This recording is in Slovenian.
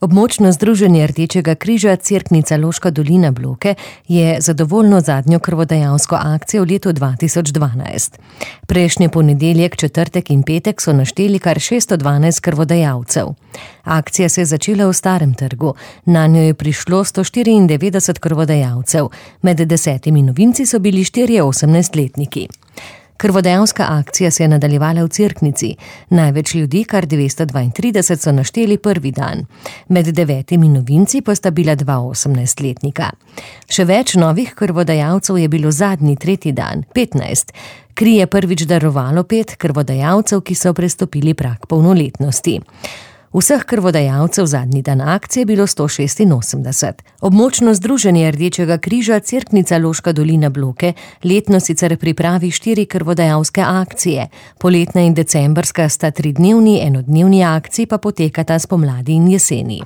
Območno združenje Rdečega križa Cerknica Loška dolina Bloke je zadovoljno zadnjo krvodajalsko akcijo v letu 2012. Prejšnji ponedeljek, četrtek in petek so našteli kar 612 krvodajalcev. Akcija se je začela v Starem trgu. Nanjo je prišlo 194 krvodajalcev. Med 10 novinci so bili 4 18-letniki. Krvodajalska akcija se je nadaljevala v Cerknici. Največ ljudi, kar 232, so našteli prvi dan. Med 9 novinci pa sta bila 2 18-letnika. Še več novih krvodajalcev je bilo zadnji, tretji dan, 15. Kri je prvič darovalo 5 krvodajalcev, ki so prestopili prag polnoletnosti. Vseh krvodajalcev zadnji dan akcije je bilo 186. Območno združenje Rdečega križa Cerknica Loška dolina Bloke letno sicer pripravi 4 krvodajalske akcije. Poletna in decembrska sta 3-dnevni, enodnevni akciji pa potekata spomladi in jeseni.